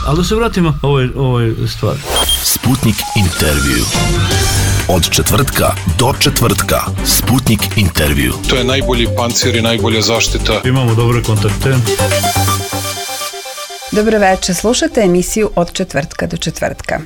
Ali da se vratimo ovoj stvari. Sputnik intervju. Od četvrtka do četvrtka. Sputnik intervju. To je najbolji pancir i najbolja zaštita. Imamo dobre kontakte. Dobro večer, slušate emisiju Od četvrtka do četvrtka.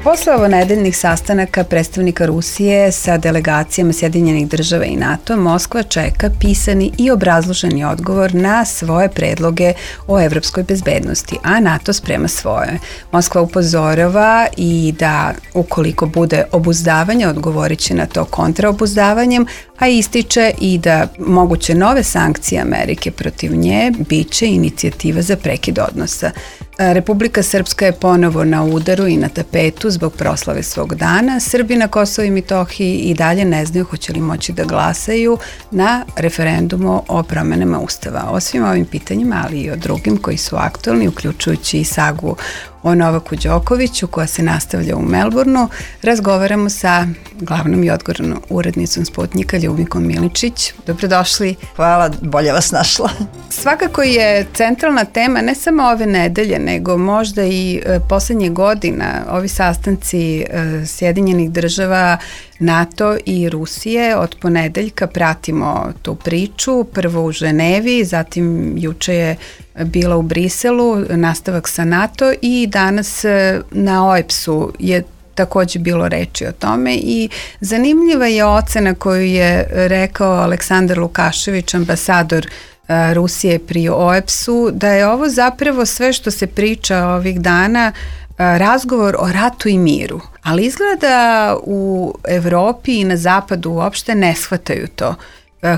Posle ovonedeljnih sastanaka predstavnika Rusije sa delegacijama Sjedinjenih država i NATO, Moskva čeka pisani i obrazloženi odgovor na svoje predloge o evropskoj bezbednosti, a NATO sprema svoje. Moskva upozorava i da ukoliko bude obuzdavanje, odgovorit će na to kontraobuzdavanjem, a ističe i da moguće nove sankcije Amerike protiv nje biće inicijativa za prekid odnosa. Republika Srpska je ponovo na udaru i na tapetu zbog proslave svog dana. Srbi na Kosovo i Metohiji i dalje ne znaju hoće li moći da glasaju na referendumu o promenama Ustava. O svim ovim pitanjima, ali i o drugim koji su aktualni, uključujući i sagu o Novaku Đokoviću koja se nastavlja u Melbourneu, razgovaramo sa glavnom i odgovornom urednicom Sputnika Ljubinkom Miličić. Dobrodošli. Hvala, bolje vas našla. Svakako je centralna tema ne samo ove nedelje, nego možda i poslednjih godina, ovi sastanci Sjedinjenih država, NATO i Rusije. Od ponedeljka pratimo tu priču, prvo u Ženevi, zatim juče je bila u Briselu, nastavak sa NATO i danas na OEBS-u je takođe bilo reči o tome i zanimljiva je ocena koju je rekao Aleksandar Lukašević, ambasador Rusije pri OEBS-u, da je ovo zapravo sve što se priča ovih dana razgovor o ratu i miru. Ali izgleda u Evropi i na zapadu uopšte ne shvataju to.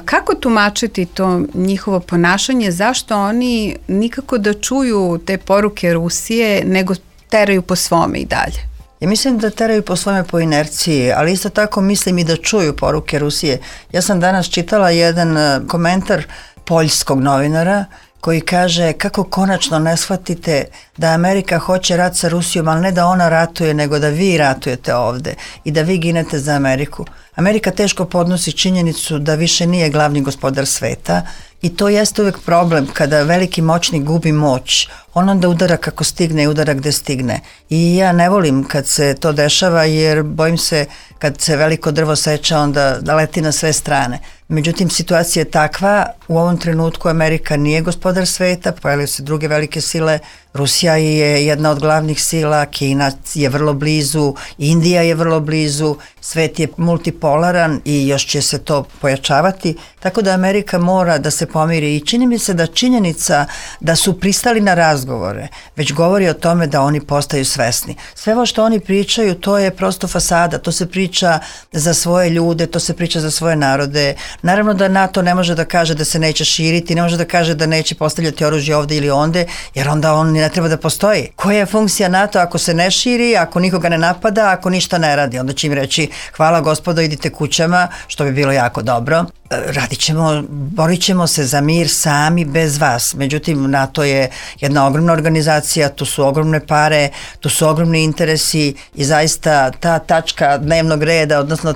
Kako tumačiti to njihovo ponašanje, zašto oni nikako da čuju te poruke Rusije, nego teraju po svome i dalje? Ja mislim da teraju po svome po inerciji, ali isto tako mislim i da čuju poruke Rusije. Ja sam danas čitala jedan komentar poljskog novinara koji kaže kako konačno ne shvatite da Amerika hoće rat sa Rusijom, ali ne da ona ratuje, nego da vi ratujete ovde i da vi ginete za Ameriku. Amerika teško podnosi činjenicu da više nije glavni gospodar sveta i to jeste uvek problem kada veliki moćnik gubi moć. On onda udara kako stigne i udara gde stigne. I ja ne volim kad se to dešava jer bojim se kad se veliko drvo seče onda da leti na sve strane. Međutim, situacija je takva, u ovom trenutku Amerika nije gospodar sveta, pojavljaju se druge velike sile, Rusija je jedna od glavnih sila, Kina je vrlo blizu, Indija je vrlo blizu, svet je multipolaran i još će se to pojačavati, tako da Amerika mora da se pomiri i čini mi se da činjenica da su pristali na razgovore, već govori o tome da oni postaju svesni. Sve ovo što oni pričaju, to je prosto fasada, to se priča za svoje ljude, to se priča za svoje narode. Naravno da NATO ne može da kaže da se neće širiti, ne može da kaže da neće postavljati oružje ovde ili onde, jer onda on ne treba da postoji. Koja je funkcija NATO ako se ne širi, ako nikoga ne napada, ako ništa ne radi? Onda će im reći hvala gospodo, idite kućama, što bi bilo jako dobro. Radit ćemo, borit ćemo se za mir sami bez vas. Međutim, NATO je jedna ogromna organizacija, tu su ogromne pare, tu su ogromni interesi i zaista ta tačka dnevnog reda, odnosno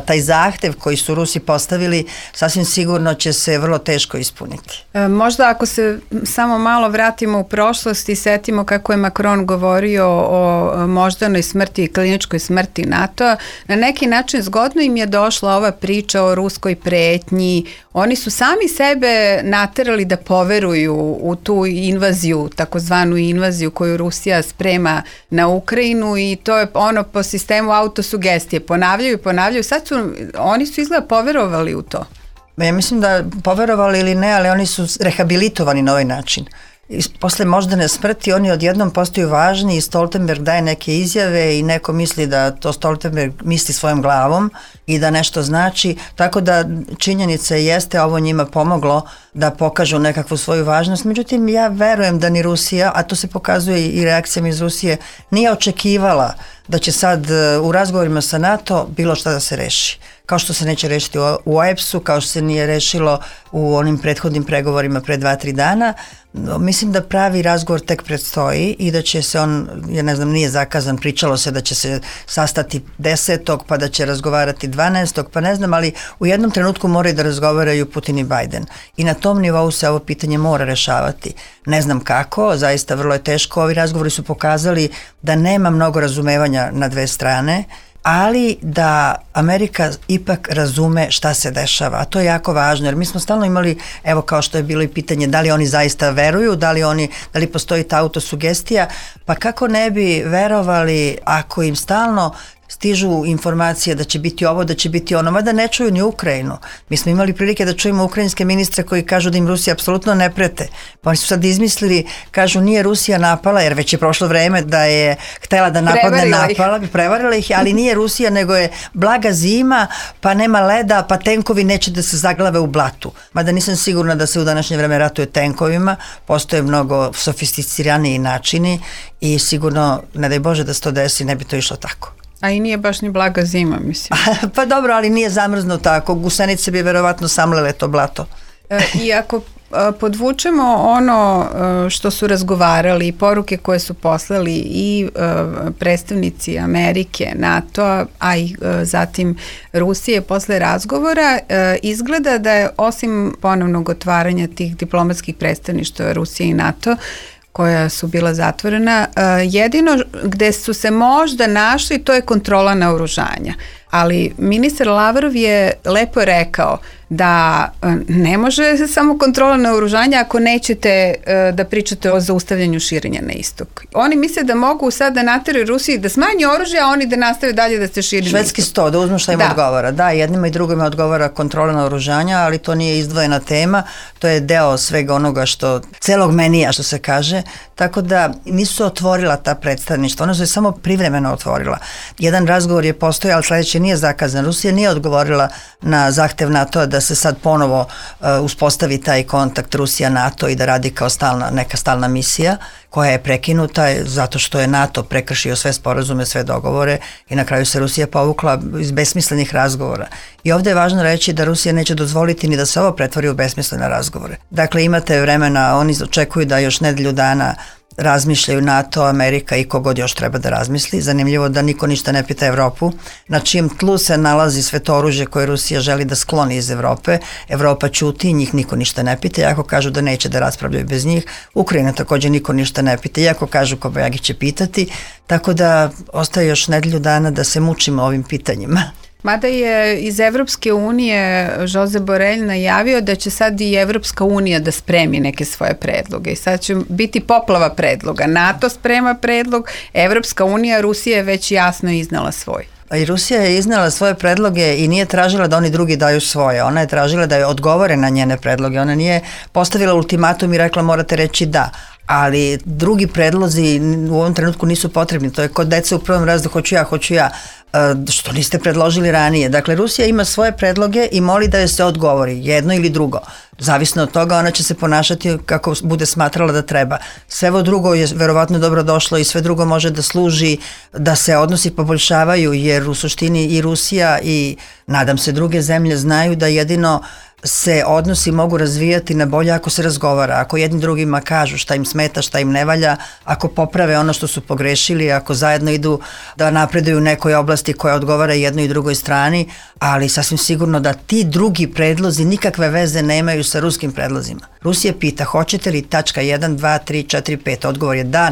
taj zahtev koji su Rusi postavili, sasvim sigurno će se vrlo teško ispuniti. Možda ako se samo malo vratimo u prošlost i setimo kako je Macron govorio o moždanoj smrti i kliničkoj smrti NATO, na neki način zgodno im je došla ova priča o ruskoj pretnji. Oni su sami sebe naterali da poveruju u tu invaziju, takozvanu invaziju koju Rusija sprema na Ukrajinu i to je ono po sistemu autosugestije. Ponavljaju. Sad oni su izgleda poverovali u to. Ja mislim da poverovali ili ne, ali oni su rehabilitovani na ovaj način. Posle moždane smrti oni odjednom postaju važni i Stoltenberg daje neke izjave i neko misli da to Stoltenberg misli svojom glavom i da nešto znači, tako da činjenica jeste ovo njima pomoglo da pokažu nekakvu svoju važnost. Međutim, ja verujem da ni Rusija, a to se pokazuje i reakcijama iz Rusije, nije očekivala da će sad u razgovorima sa NATO bilo šta da se reši. kao što se neće rešiti u OEBS-u, kao što se nije rešilo u onim prethodnim pregovorima pre 2-3 dana. Mislim da pravi razgovor tek predstoji i da će se on, ja ne znam, nije zakazan, pričalo se da će se sastati 10. pa da će razgovarati 12. pa ne znam, ali u jednom trenutku moraju da razgovaraju Putin i Biden. I na tom nivou se ovo pitanje mora rešavati. Ne znam kako, zaista vrlo je teško. Ovi razgovori su pokazali da nema mnogo razumevanja na dve strane, ali da Amerika ipak razume šta se dešava, a to je jako važno, jer mi smo stalno imali, evo kao što je bilo i pitanje da li oni zaista veruju, da li postoji ta autosugestija, pa kako ne bi verovali ako im stalno stižu informacije da će biti ovo, da će biti ono, mada ne čuju ni Ukrajinu. Mi smo imali prilike da čujemo ukrajinske ministre koji kažu da im Rusija apsolutno ne prete. Pa oni su sad izmislili, kažu nije Rusija napala, jer već je prošlo vreme da je htela da napadne, napala, prevarila ih, ali nije Rusija, nego je blaga zima, pa nema leda, pa tenkovi neće da se zaglave u blatu. Mada nisam sigurna da se u današnje vreme ratuje tenkovima, postoje mnogo sofisticiraniji načini i sigurno, ne daj Bože da se to desi, ne bi to išlo tako. A i nije baš ni blaga zima, mislim. Pa dobro, ali nije zamrzno tako. Gusenice bi verovatno samlele to blato. I ako podvučemo ono što su razgovarali i poruke koje su poslali i predstavnici Amerike, NATO, a i zatim Rusije posle razgovora, izgleda da je osim ponovnog otvaranja tih diplomatskih predstavništva Rusije i NATO, koja su bila zatvorena, jedino gde su se možda našli to je kontrola naoružanja. Ali ministar Lavrov je lepo rekao da ne može samo kontrola naoružanja ako nećete da pričate o zaustavljanju širenja na istok. Oni misle da mogu sad da nateraju Rusiji da smanji oružje, a oni da nastave dalje da se širi na istok. Švedski 100, da uzmu šta im odgovara. Da, jednima i drugima odgovara kontrola naoružanja, ali to nije izdvojena tema, to je deo svega onoga što, celog menija što se kaže, tako da nisu otvorila ta predstavništva, ona su je samo privremeno otvorila. Jedan razgovor je postojao, ali sledeći nije zakazan. Rusija nije odgovorila na zahtev NATO da se sad ponovo uspostavi taj kontakt Rusija-NATO i da radi kao neka stalna misija koja je prekinuta zato što je NATO prekršio sve sporazume, sve dogovore i na kraju se Rusija povukla iz besmislenih razgovora. I ovde je važno reći da Rusija neće dozvoliti ni da se ovo pretvori u besmislene razgovore. Dakle, imate vremena, oni očekuju da još nedelju dana razmišljaju NATO, Amerika i kogod još treba da razmisli. Zanimljivo da niko ništa ne pita Evropu, na čijem tlu se nalazi sve to oružje koje Rusija želi da skloni iz Evrope. Evropa ćuti, njih niko ništa ne pita, iako kažu da neće da raspravljaju bez njih. Ukrajina takođe niko ništa ne pita, iako kažu Kobajagi će pitati, tako da ostaje još nedelju dana da se mučimo ovim pitanjima. Mada je iz Evropske unije Josep Borrell najavio da će sad i Evropska unija da spremi neke svoje predloge i sad će biti poplava predloga. NATO sprema predlog, Evropska unija, Rusija je već jasno iznala svoj. I Rusija je iznala svoje predloge i nije tražila da oni drugi daju svoje. Ona je tražila da je odgovore na njene predloge. Ona nije postavila ultimatum i rekla morate reći da. Ali drugi predlozi u ovom trenutku nisu potrebni. To je kod deca u prvom razredu hoću ja. Što niste predložili ranije. Dakle, Rusija ima svoje predloge i moli da joj se odgovori, jedno ili drugo. Zavisno od toga, ona će se ponašati kako bude smatrala da treba. Sve ovo drugo je verovatno dobro došlo i sve drugo može da služi da se odnosi poboljšavaju, jer u suštini i Rusija i nadam se druge zemlje znaju da jedino se odnosi mogu razvijati na bolje ako se razgovara, ako jedni drugima kažu šta im smeta, šta im ne valja, ako poprave ono što su pogrešili, ako zajedno idu da napreduju u nekoj oblasti koja odgovara jednoj i drugoj strani, ali sasvim sigurno da ti drugi predlozi nikakve veze nemaju sa ruskim predlozima. Rusija pita hoćete li tačka 1, 2, 3, 4, 5, odgovor je da,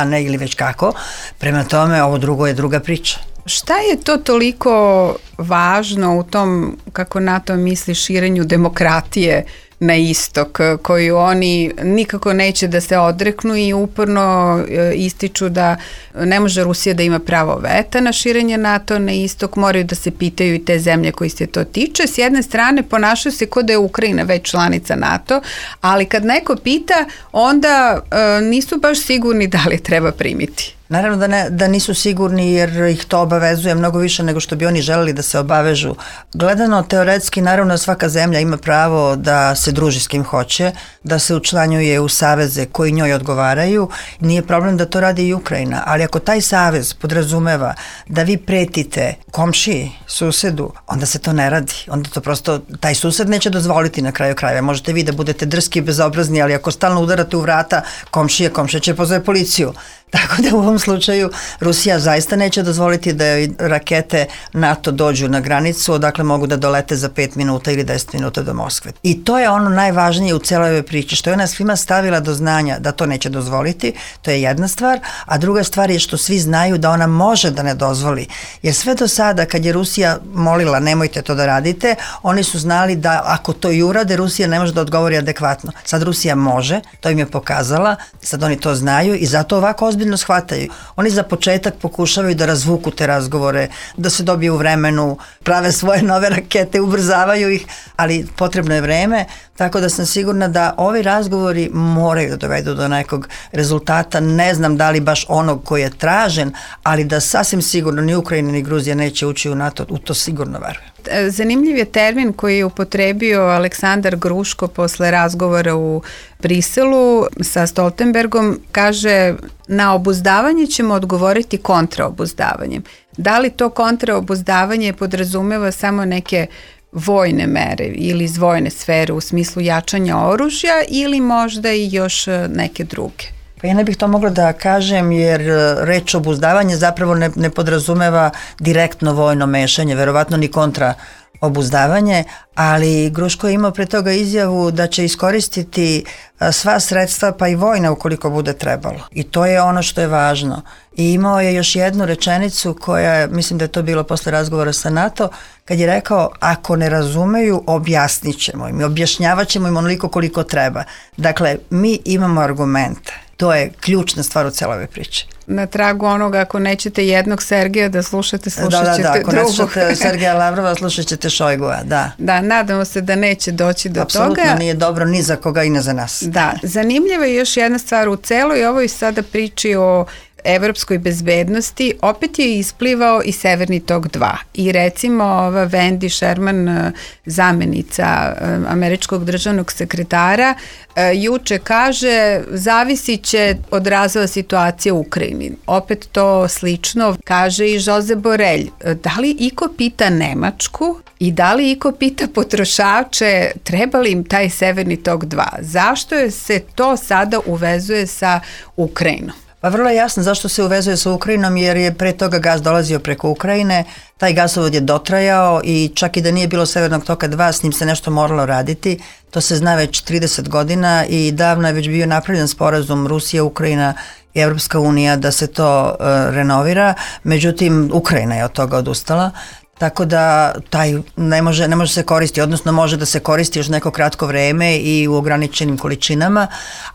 ne ili već kako, prema tome ovo drugo je druga priča. Šta je to toliko važno u tom, kako NATO misli, širenju demokratije na istok, koju oni nikako neće da se odreknu i uporno ističu da ne može Rusija da ima pravo veta na širenje NATO na istok, moraju da se pitaju i te zemlje koji se to tiče. S jedne strane ponašaju se kao da je Ukrajina već članica NATO, ali kad neko pita, onda nisu baš sigurni da li treba primiti. Naravno da nisu sigurni jer ih to obavezuje mnogo više nego što bi oni želeli da se obavežu. Gledano teoretski, naravno svaka zemlja ima pravo da se druži s kim hoće, da se učlanjuje u saveze koji njoj odgovaraju. Nije problem da to radi i Ukrajina, ali ako taj savez podrazumeva da vi pretite komšiji, susedu, onda se to ne radi. Onda to prosto, taj sused neće dozvoliti na kraju krajeva. Možete vi da budete drski i bezobrazni, ali ako stalno udarate u vrata komšije će pozove policiju. Tako da u ovom slučaju Rusija zaista neće dozvoliti da rakete NATO dođu na granicu odakle mogu da dolete za 5 minuta ili 10 minuta do Moskve. I to je ono najvažnije u celoj ovoj priči, što je ona svima stavila do znanja da to neće dozvoliti, to je jedna stvar, a druga stvar je što svi znaju da ona može da ne dozvoli. Jer sve do sada kad je Rusija molila nemojte to da radite, oni su znali da ako to i urade, Rusija ne može da odgovori adekvatno. Sad Rusija može, to im je pokazala, sad oni to znaju i zato ovako ozbiljno shvataju. Oni za početak pokušavaju da razvuku te razgovore, da se dobiju u vremenu, prave svoje nove rakete, ubrzavaju ih, ali potrebno je vreme, tako da sam sigurna da ovi razgovori moraju da dovedu do nekog rezultata. Ne znam da li baš onog koji je tražen, ali da sasvim sigurno ni Ukrajina ni Gruzija neće ući u NATO, u to sigurno verujem. Zanimljiv je termin koji je upotrebio Aleksandar Gruško posle razgovora u Briselu sa Stoltenbergom. Kaže, na obuzdavanje ćemo odgovoriti kontraobuzdavanjem. Da li to kontraobuzdavanje podrazumeva samo neke vojne mere ili iz vojne sfere u smislu jačanja oružja ili možda i još neke druge? Pa ja ne bih to mogla da kažem jer reč obuzdavanje zapravo ne podrazumeva direktno vojno mešanje, verovatno ni kontra obuzdavanje, ali Gruško je imao pre toga izjavu da će iskoristiti sva sredstva pa i vojna ukoliko bude trebalo. I to je ono što je važno. I imao je još jednu rečenicu koja, mislim da je to bilo posle razgovora sa NATO, kad je rekao ako ne razumeju objasnit ćemo im, objašnjavat ćemo im onoliko koliko treba. Dakle, mi imamo argumente. To je ključna stvar u celoj ovoj priči. Na tragu onoga, ako nećete jednog Sergeja da slušat ćete drugog. Ako ne slušate Sergeja Lavrova, slušat ćete Šojgua, da. Da, nadamo se da neće doći do toga. Apsolutno nije dobro ni za koga i ne za nas. Da, zanimljiva je još jedna stvar u celoj ovoj sada priči o evropskoj bezbednosti, opet je isplivao i Severni tok 2. I recimo ova Wendy Sherman, zamenica američkog državnog sekretara, juče kaže zavisit će od razvoja situacije u Ukrajini. Opet to slično kaže i Josep Borrell. Da li iko pita Nemačku i da li iko pita potrošače treba li im taj Severni tok 2? Zašto se to sada uvezuje sa Ukrajinom? Pa vrlo je jasno zašto se uvezuje sa Ukrajinom, jer je pre toga gas dolazio preko Ukrajine, taj gasovod je dotrajao i čak i da nije bilo Severnog toka 2, s njim se nešto moralo raditi. To se zna već 30 godina i davno je već bio napravljen sporazum Rusija, Ukrajina i Evropska unija da se to renovira, međutim Ukrajina je od toga odustala. Tako da taj ne može se koristiti, odnosno može da se koristi još neko kratko vreme i u ograničenim količinama,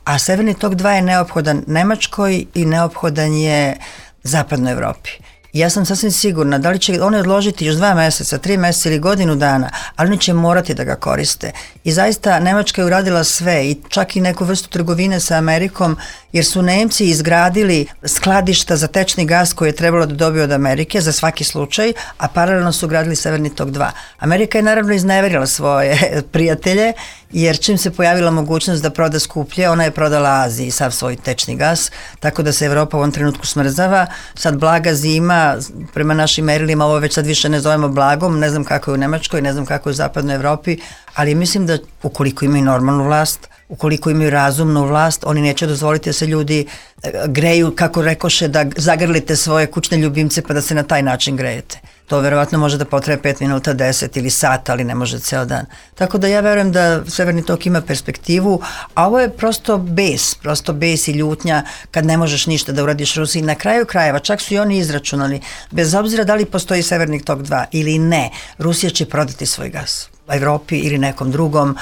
a Severni tok 2 je neophodan Nemačkoj i neophodan je Zapadnoj Evropi. Ja sam sasvim sigurna da li će oni odložiti još 2 meseca, 3 meseca ili godinu dana, ali oni će morati da ga koriste. I zaista Nemačka je uradila sve i čak i neku vrstu trgovine sa Amerikom, jer su Nemci izgradili skladišta za tečni gas koje je trebalo da dobiju od Amerike za svaki slučaj, a paralelno su gradili Severni tok 2. Amerika je naravno izneverila svoje prijatelje, jer čim se pojavila mogućnost da proda skuplje, ona je prodala Aziji sav svoj tečni gas, tako da se Evropa u ovom trenutku smrzava. Sad blaga zima, prema našim merilima ovo već sad više ne zovemo blagom, ne znam kako je u Nemačkoj, ne znam kako je u Zapadnoj Evropi, ali mislim da ukoliko imaju normalnu vlast, ukoliko imaju razumnu vlast, oni neće dozvoliti da se ljudi greju, kako rekoše, da zagrlite svoje kućne ljubimce pa da se na taj način grejete. To verovatno može da potraje 5 minuta, 10 ili sat, ali ne može ceo dan. Tako da ja verujem da Severni tok ima perspektivu, a ovo je prosto bes i ljutnja kad ne možeš ništa da uradiš Rusiji. Na kraju krajeva, čak su i oni izračunali, bez obzira da li postoji Severni tok 2 ili ne, Rusija će prodati svoj gas Evropi ili nekom drugom,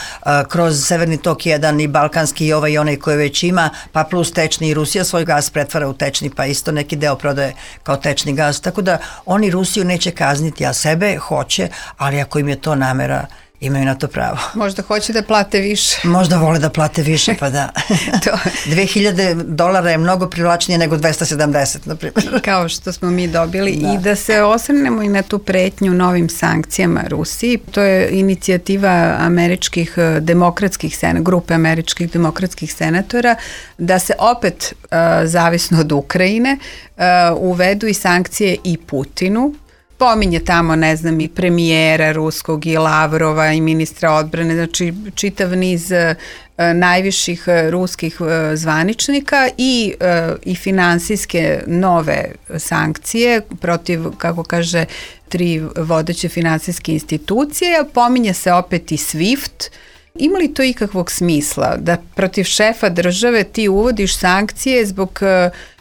kroz Severni tok 1 i balkanski i ovaj i onaj koji već ima, pa plus tečni, i Rusija svoj gas pretvara u tečni, pa isto neki deo prodaje kao tečni gas, tako da oni Rusiju neće kazniti, a sebe hoće, ali ako im je to namera, Imaju na to pravo. Možda hoće da plate više. Možda vole da plate više, pa da. $2.000 je mnogo privlačnije nego 270, na primjer. Kao što smo mi dobili. Da. I da se osvrnemo i na tu pretnju novim sankcijama Rusiji. To je inicijativa američkih demokratskih grupe američkih demokratskih senatora da se opet, zavisno od Ukrajine, uvedu i sankcije i Putinu. Pominje tamo, ne znam, i premijera ruskog i Lavrova i ministra odbrane, znači čitav niz najviših ruskih zvaničnika i finansijske nove sankcije protiv, kako kaže, 3 vodeće finansijske institucije. Pominje se opet i SWIFT. Ima li to ikakvog smisla da protiv šefa države ti uvodiš sankcije zbog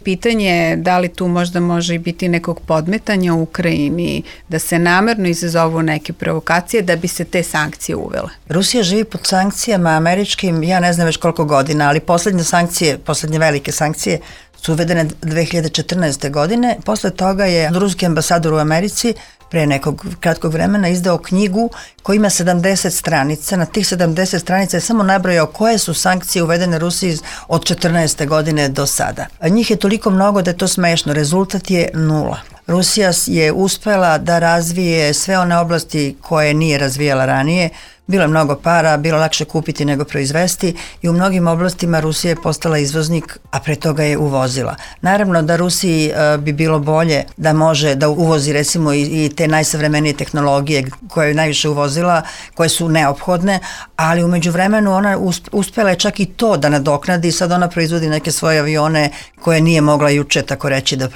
pitanje da li tu možda može i biti nekog podmetanja u Ukrajini, da se namerno izazovu neke provokacije da bi se te sankcije uvele? Rusija živi pod sankcijama američkim, ja ne znam već koliko godina, ali poslednje velike sankcije su uvedene 2014. godine. Posle toga je ruski ambasador u Americi pre nekog kratkog vremena izdao knjigu koja ima 70 stranica. Na tih 70 stranica je samo nabrojao koje su sankcije uvedene Rusiji od 14. godine do sada. A njih je toliko mnogo da je to smešno. Rezultat je 0. Rusija je uspela da razvije sve one oblasti koje nije razvijala ranije. Bilo je mnogo para, bilo lakše kupiti nego proizvesti i u mnogim oblastima Rusija je postala izvoznik, a pre toga je uvozila. Naravno da Rusiji bi bilo bolje da može da uvozi recimo i te najsavremenije tehnologije koje je najviše uvozila, koje su neophodne, ali umeđu vremenu ona uspela je čak i to da nadoknadi i sad ona proizvodi neke svoje avione koje nije mogla juče tako reći da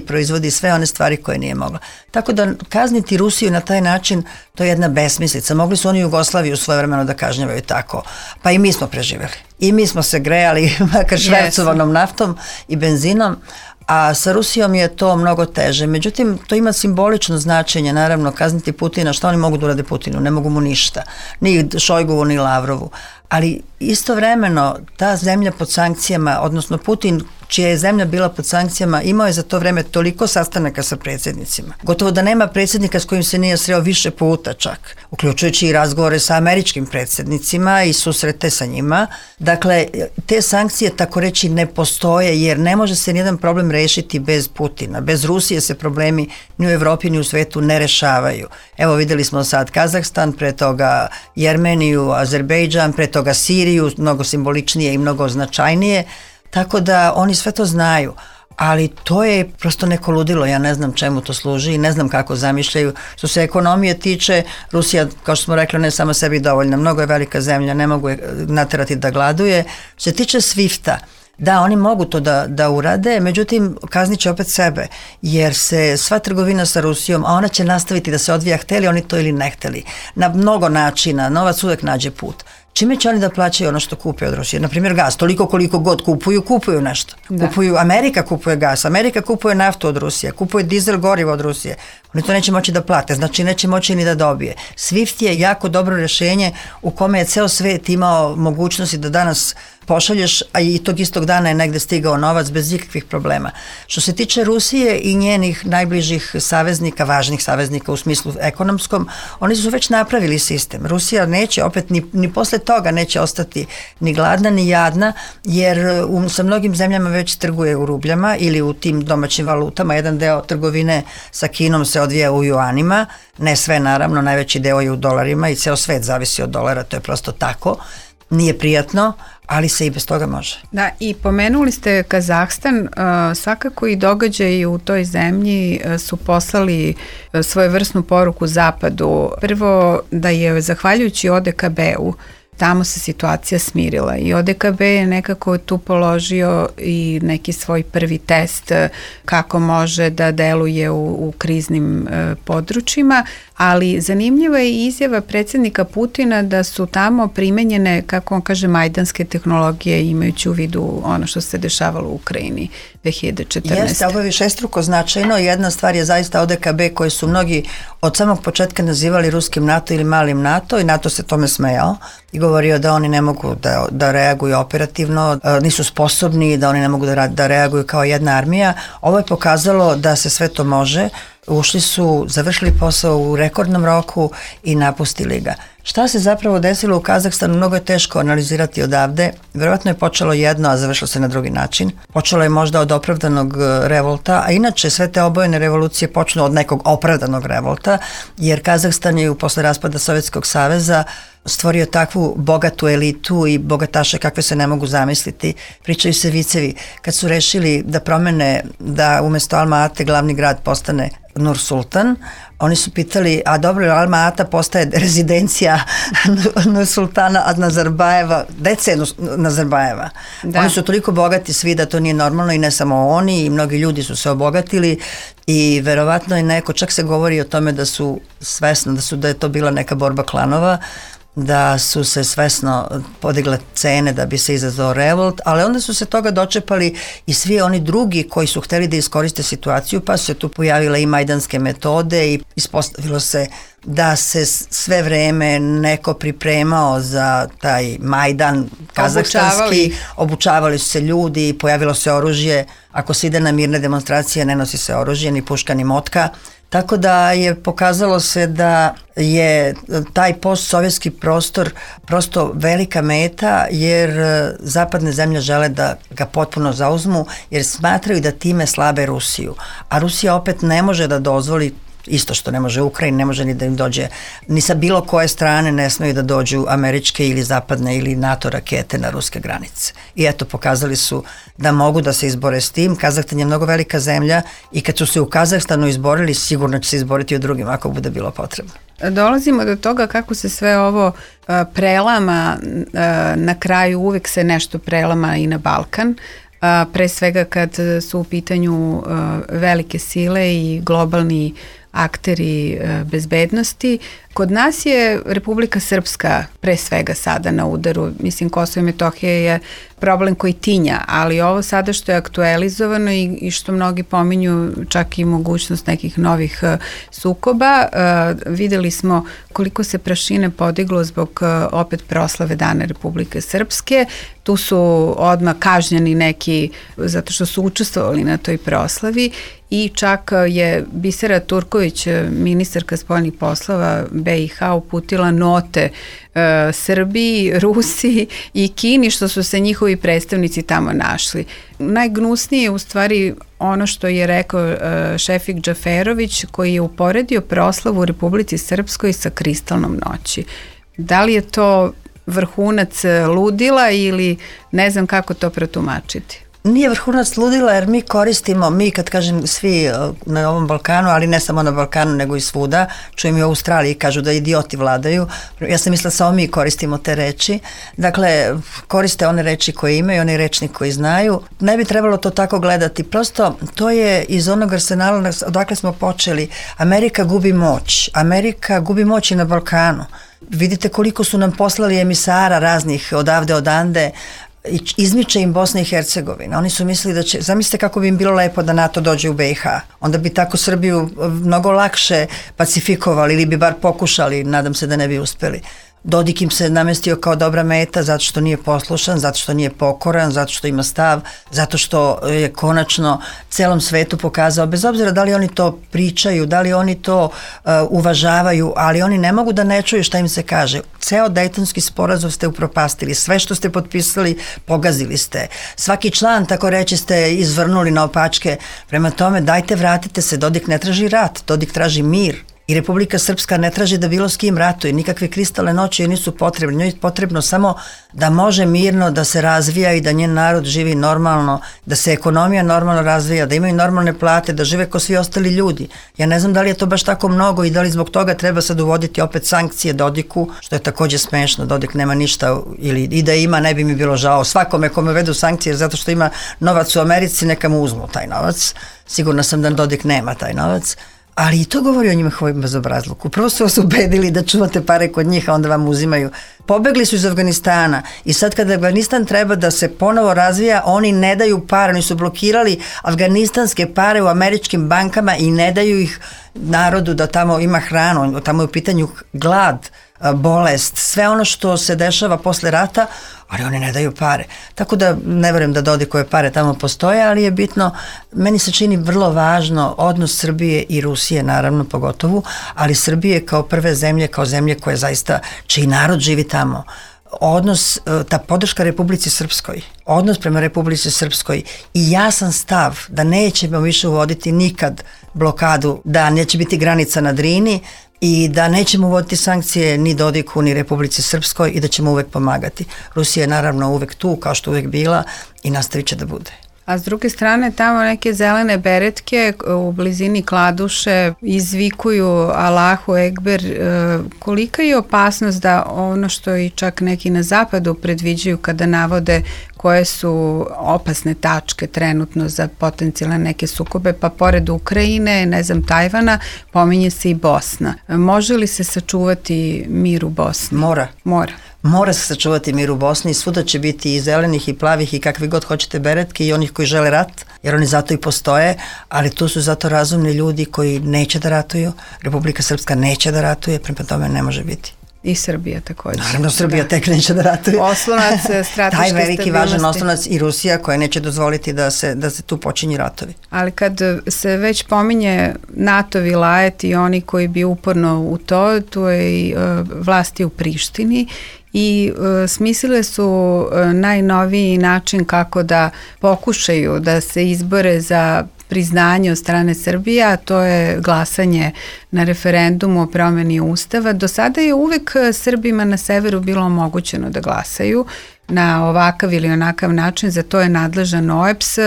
proizvodi sve one stvari koje nije mogla. Tako da kazniti Rusiju na taj način, to je jedna besmislica. Mogli su oni Jugoslaviju svojevremeno da kažnjavaju tako. Pa i mi smo preživjeli. I mi smo se grejali makar švercovanom naftom i benzinom, a sa Rusijom je to mnogo teže. Međutim, to ima simbolično značenje, naravno, kazniti Putina. Šta oni mogu da urade Putinu? Ne mogu mu ništa. Ni Šojgovu, ni Lavrovu. Ali istovremeno ta zemlja pod sankcijama, odnosno Putin, čija je zemlja bila pod sankcijama, imao je za to vreme toliko sastanaka sa predsjednicima. Gotovo da nema predsjednika s kojim se nije sreo više puta čak, uključujući i razgovore sa američkim predsjednicima i susrete sa njima. Dakle, te sankcije tako reći ne postoje jer ne može se nijedan problem rešiti bez Putina. Bez Rusije se problemi ni u Evropi ni u svetu ne rešavaju. Evo videli smo sad Kazahstan, pre toga Jermeniju, Azerbejdžan, pre toga Siriju, mnogo simboličnije i mnogo značajnije. Tako da oni sve to znaju, ali to je prosto neko ludilo, ja ne znam čemu to služi i ne znam kako zamišljaju. Što se ekonomije tiče, Rusija, kao što smo rekli, ne samo sebi dovoljna, mnogo je velika zemlja, ne mogu je naterati da gladuje. Što se tiče SWIFT-a, da, oni mogu to da urade, međutim kaznit će opet sebe, jer se sva trgovina sa Rusijom, a ona će nastaviti da se odvija hteli oni to ili ne hteli. Na mnogo načina, novac uvek nađe put. Čime će oni da plaćaju ono što kupe od Rusije? Naprimjer gas, toliko koliko god kupuju nešto. Da. Amerika kupuje gas, Amerika kupuje naftu od Rusije, kupuje dizel gorivo od Rusije. Oni to neće moći da plate, znači neće moći ni da dobije. SWIFT je jako dobro rješenje u kome je ceo svet imao mogućnosti da danas pošalješ, a i tog istog dana je negde stigao novac bez ikakvih problema. Što se tiče Rusije i njenih najbližih saveznika, važnih saveznika u smislu ekonomskom, oni su već napravili sistem. Rusija neće opet ni posle toga neće ostati ni gladna ni jadna, jer sa mnogim zemljama već trguje u rubljama ili u tim domaćim valutama. Jedan deo trgovine sa Kinom se odvija u juanima, ne sve naravno, najveći deo je u dolarima i ceo svet zavisi od dolara, to je prosto tako. Nije prijatno, ali se i bez toga može. Da, i pomenuli ste Kazahstan, svakako i događaji u toj zemlji su poslali svojevrsnu poruku Zapadu. Prvo da je zahvaljujući ODKB-u tamo se situacija smirila i ODKB je nekako tu položio i neki svoj prvi test kako može da deluje u kriznim područjima, ali zanimljiva je i izjava predsjednika Putina da su tamo primenjene, kako on kaže, majdanske tehnologije imajući u vidu ono što se dešavalo u Ukrajini 2014. Jeste, ovo je višestruko značajno. Jedna stvar je zaista ODKB koji su mnogi od samog početka nazivali ruskim NATO ili malim NATO i NATO se tome smejao i govorio da oni ne mogu da reaguju operativno, nisu sposobni, da oni ne mogu da reaguju kao jedna armija. Ovo je pokazalo da se sve to može. ušli su, završili posao u rekordnom roku i napustili ga. Šta se zapravo desilo u Kazahstanu, mnogo je teško analizirati odavde. Verovatno je počelo jedno, a završilo se na drugi način. Počelo je možda od opravdanog revolta, a inače sve te obojene revolucije počnu od nekog opravdanog revolta, jer Kazahstan je posle raspada Sovjetskog saveza stvorio takvu bogatu elitu i bogataše kakve se ne mogu zamisliti. Pričaju se vicevi. Kad su rešili da promene, da umesto Alma-Ate glavni grad postane Nur Sultan, oni su pitali, a dobro, Alma-Ata postaje rezidencija Nur Sultana od Nazarbajeva, dece Nazarbajeva. Da. Oni su toliko bogati svi da to nije normalno i ne samo oni, i mnogi ljudi su se obogatili i verovatno je neko, čak se govori o tome da su svesno, da je to bila neka borba klanova, da su se svesno podigle cene da bi se izazvao revolt, ali onda su se toga dočepali i svi oni drugi koji su hteli da iskoriste situaciju, pa su se tu pojavile i majdanske metode i ispostavilo se da se sve vreme neko pripremao za taj Majdan kazahstanski, obučavali su se ljudi, pojavilo se oružje, ako se ide na mirne demonstracije ne nosi se oružje, ni puška ni motka. Tako da je pokazalo se da je taj postsovjetski prostor prosto velika meta, jer zapadne zemlje žele da ga potpuno zauzmu, jer smatraju da time slabe Rusiju. A Rusija opet ne može da dozvoli, isto što ne može Ukrajina, ne može ni da im dođe, ni sa bilo koje strane ne smeju da dođu američke ili zapadne ili NATO rakete na ruske granice. I eto, pokazali su da mogu da se izbore s tim. Kazahstan je mnogo velika zemlja i kad su se u Kazahstanu izborili, sigurno će se izboriti u drugim ako bude bilo potrebno. Dolazimo do toga kako se sve ovo prelama, na kraju uvek se nešto prelama i na Balkan, pre svega kad su u pitanju velike sile i globalni akteri bezbednosti. Kod nas je Republika Srpska pre svega sada na udaru. Mislim, Kosovo i Metohija je problem koji tinja, ali ovo sada što je aktualizovano i što mnogi pominju čak i mogućnost nekih novih sukoba, videli smo koliko se prašine podiglo zbog opet proslave Dana Republike Srpske. Tu su odmah kažnjeni neki zato što su učestvovali na toj proslavi i čak je Bisera Turković, ministarka spoljnih poslova BiH, uputila note Srbiji, Rusiji i Kini što su se njihovi predstavnici tamo našli. Najgnusnije je u stvari ono što je rekao Šefik Džaferović, koji je uporedio proslavu u Republici Srpskoj sa kristalnom noći. Da li je to vrhunac ludila ili ne znam kako to protumačiti? Nije vrhunac ludila jer mi koristimo, mi kad kažem svi na ovom Balkanu, ali ne samo na Balkanu nego i svuda, čujem i u Australiji kažu da idioti vladaju, ja sam mislila samo mi koristimo te reči, dakle koriste one reči koje imaju, one rečnik koji znaju, ne bi trebalo to tako gledati, prosto to je iz onog arsenala odakle smo počeli, Amerika gubi moć i na Balkanu, vidite koliko su nam poslali emisara raznih odavde odande, izmiče im Bosna i Hercegovina. Oni su mislili da će, zamislite kako bi im bilo lepo da NATO dođe u BiH. Onda bi tako Srbiju mnogo lakše pacifikovali ili bi bar pokušali, nadam se da ne bi uspeli. Dodik im se namestio kao dobra meta zato što nije poslušan, zato što nije pokoran, zato što ima stav, zato što je konačno celom svetu pokazao, bez obzira da li oni to pričaju, da li oni to uvažavaju, ali oni ne mogu da ne čuju šta im se kaže. Ceo Dejtonski sporazum ste upropastili, sve što ste potpisali pogazili ste. Svaki član, tako reći, ste izvrnuli na opačke. Prema tome, dajte, vratite se, Dodik ne traži rat, Dodik traži mir. I Republika Srpska ne traži da bilo s kim ratuje, nikakve kristalne noći nisu potrebne, njoj je potrebno samo da može mirno da se razvija i da njen narod živi normalno, da se ekonomija normalno razvija, da imaju normalne plate, da žive kao svi ostali ljudi. Ja ne znam da li je to baš tako mnogo i da li zbog toga treba sad uvoditi opet sankcije Dodiku, što je takođe smešno, Dodik nema ništa ili i da ima ne bi mi bilo žao svakome kome vedu sankcije zato što ima novac u Americi, neka mu uzmu taj novac, sigurna sam da Dodik nema taj novac. Ali i to govori o njihovom bezobrazluku. Prvo su vas ubedili da čuvate pare kod njih, a onda vam uzimaju. Pobegli su iz Afganistana i sad kada Afganistan treba da se ponovo razvija, oni ne daju pare, oni su blokirali afganistanske pare u američkim bankama i ne daju ih narodu da tamo ima hranu, tamo je u pitanju glad bolest, sve ono što se dešava posle rata, ali oni ne daju pare. Tako da ne verujem da Dodikove pare tamo postoje, ali je bitno, meni se čini vrlo važno odnos Srbije i Rusije, naravno pogotovo, ali Srbije kao prve zemlje, kao zemlje koje zaista, čiji narod živi tamo, odnos, ta podrška Republici Srpskoj, odnos prema Republici Srpskoj i jasan stav da nećemo više uvoditi nikad blokadu, da neće biti granica na Drini i da nećemo uvoditi sankcije ni Dodiku ni Republici Srpskoj i da ćemo uvek pomagati. Rusija je naravno uvek tu, kao što uvek bila, i nastavit će da bude. A s druge strane, tamo neke zelene beretke u blizini Kladuše izvikuju Allahu Ekber. Kolika je opasnost da ono što i čak neki na zapadu predviđaju kada navode koje su opasne tačke trenutno za potencijalne neke sukobe, pa pored Ukrajine, ne znam, Tajvana, pominje se i Bosna. Može li se sačuvati mir u Bosni? Mora. Mora se sačuvati mir u Bosni i svuda će biti i zelenih i plavih i kakvi god hoćete beretke i onih koji žele rat, jer oni zato i postoje, ali tu su zato razumni ljudi koji neće da ratuju, Republika Srpska neće da ratuje, prema tome ne može biti. I Srbija također. Naravno, Srbija tek neće da ratuje. Oslonac strateške stabilnosti. Taj veliki važan oslonac i Rusija koja neće dozvoliti da se tu počinju ratovi. Ali kad se već pominje NATO vilajet i oni koji bi uporno u to je i vlasti u Prištini i smislile su najnoviji način kako da pokušaju da se izbore za priznanje od strane Srbije, a to je glasanje na referendumu o promeni Ustava. Do sada je uvek Srbima na severu bilo omogućeno da glasaju na ovakav ili onakav način, za to je nadležan OEBS.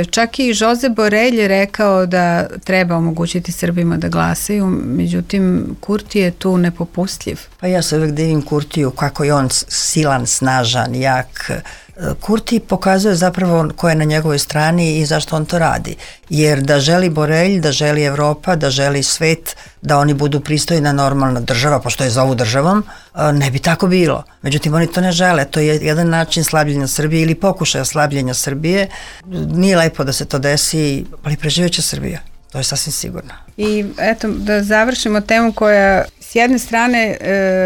Čak i Josep Borrell je rekao da treba omogućiti Srbima da glasaju, međutim Kurti je tu nepopustljiv. Pa ja se uvek divim Kurtiju kako je on silan, snažan, jak. Kurti pokazuje zapravo ko je na njegovoj strani i zašto on to radi. Jer da želi Borrell, da želi Evropa, da želi svet, da oni budu pristojna normalna država, pošto je zovu državom, ne bi tako bilo. Međutim, oni to ne žele. To je jedan način slabljenja Srbije ili pokušaja slabljenja Srbije. Nije lepo da se to desi, ali preživeće Srbija. To je sasvim sigurno. I eto, da završimo temu koja s jedne strane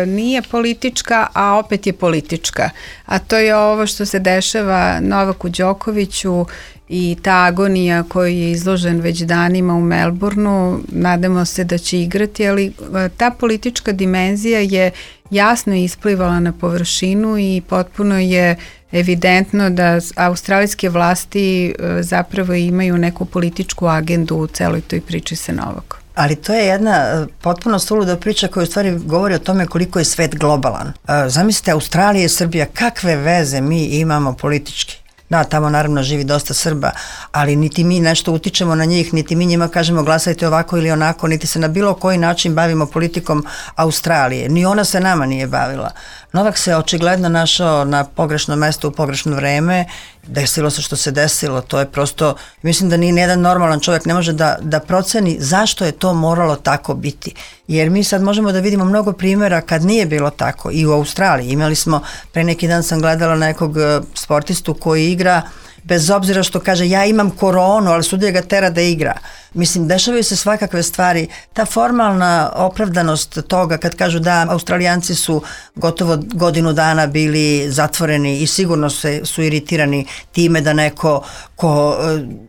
nije politička, a opet je politička. A to je ovo što se dešava Novaku Đokoviću i ta agonija koji je izložen već danima u Melbourneu. Nadamo se da će igrati, ali ta politička dimenzija je jasno isplivala na površinu i potpuno je evidentno da australijske vlasti zapravo imaju neku političku agendu u celoj toj priči sa Novakom. Ali to je jedna potpuno suluda priča koja u stvari govori o tome koliko je svet globalan. Zamislite, Australija i Srbija, kakve veze mi imamo politički? Da, tamo naravno živi dosta Srba, ali niti mi nešto utičemo na njih, niti mi njima kažemo glasajte ovako ili onako, niti se na bilo koji način bavimo politikom Australije. Ni ona se nama nije bavila. Novak se očigledno našao na pogrešnom mestu u pogrešno vreme, desilo se što se desilo, to je prosto, mislim da ni jedan normalan čovjek ne može da proceni zašto je to moralo tako biti. Jer mi sad možemo da vidimo mnogo primjera kad nije bilo tako i u Australiji. Imali smo, pre neki dan sam gledala nekog sportistu koji igra bez obzira što kaže ja imam koronu, ali sudija ga tera da igra. Mislim, dešavaju se svakakve stvari. Ta formalna opravdanost toga kad kažu da Australijanci su gotovo godinu dana bili zatvoreni i sigurno su iritirani time da neko ko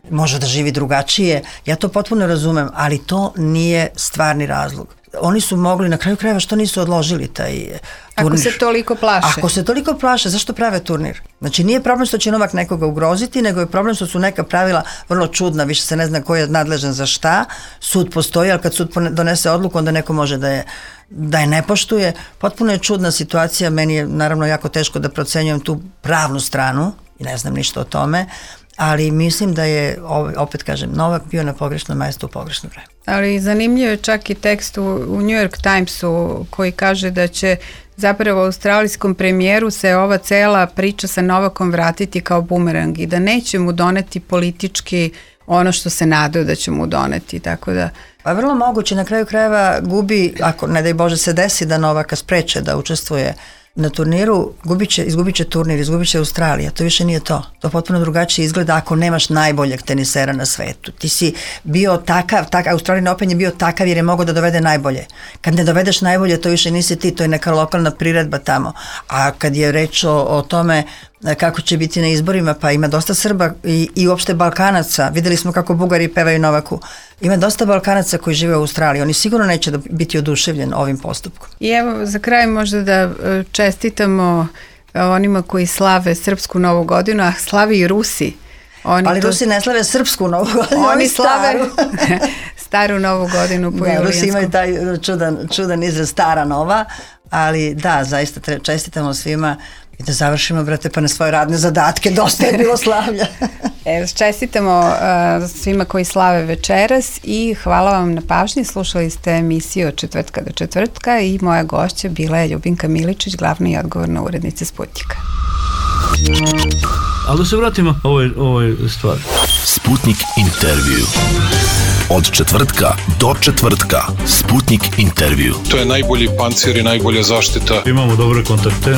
može da živi drugačije, ja to potpuno razumem, ali to nije stvarni razlog. Oni su mogli, na kraju krajeva, što nisu odložili taj turnir? Ako se toliko plaše. Ako se toliko plaše, zašto prave turnir? Znači nije problem što će Novak nekoga ugroziti, nego je problem što su neka pravila vrlo čudna, više se ne zna ko je nadležan za šta. Sud postoji, ali kad sud donese odluku, onda neko može da je ne poštuje. Potpuno je čudna situacija, meni je naravno jako teško da procenjujem tu pravnu stranu i ne znam ništa o tome, ali mislim da je, opet kažem, Novak bio na pogrešnom mjestu u pogrešno vreme. Ali zanimljivo je čak i tekst u New York Timesu koji kaže da će zapravo australijskom premijeru se ova cela priča sa Novakom vratiti kao bumerang i da neće mu doneti politički ono što se nadaju da će mu doneti, tako da... Pa vrlo moguće, na kraju krajeva gubi, ako ne daj Bože se desi da Novaka spreče da učestvuje Na turniru izgubit će turnir, izgubit će Australija, to više nije to. To potpuno drugačije izgleda ako nemaš najboljeg tenisera na svetu. Ti si bio takav Australian Open je bio takav jer je mogao da dovede najbolje. Kad ne dovedeš najbolje, to više nisi ti, to je neka lokalna priredba tamo. A kad je reč o tome kako će biti na izborima, pa ima dosta Srba i uopšte Balkanaca. Videli smo kako Bugari pevaju Novaku. Ima dosta Balkanaca koji žive u Australiji. Oni sigurno neće biti oduševljeni ovim postupkom. I evo za kraj možda da čestitamo onima koji slave srpsku novu godinu, a slavi i Rusi. Ali Rusi ne slave srpsku novu godinu, oni slave staru novu godinu po julijanskom. Rusi imaju taj čudan izraz stara nova, ali da, zaista čestitamo svima i da završimo, brate, pa na svoje radne zadatke, dosta je bilo slavlja. Čestitamo svima koji slave večeras i hvala vam na pažnji. Slušali ste emisiju od četvrtka do četvrtka i moja gošća bila je Ljubinka Miličić, glavna i odgovorna urednica Sputnika. Ali da se vratimo ovoj stvari. Sputnik intervju. Od četvrtka do četvrtka. Sputnik intervju. To je najbolji pancir i najbolja zaštita. Imamo dobre kontakte.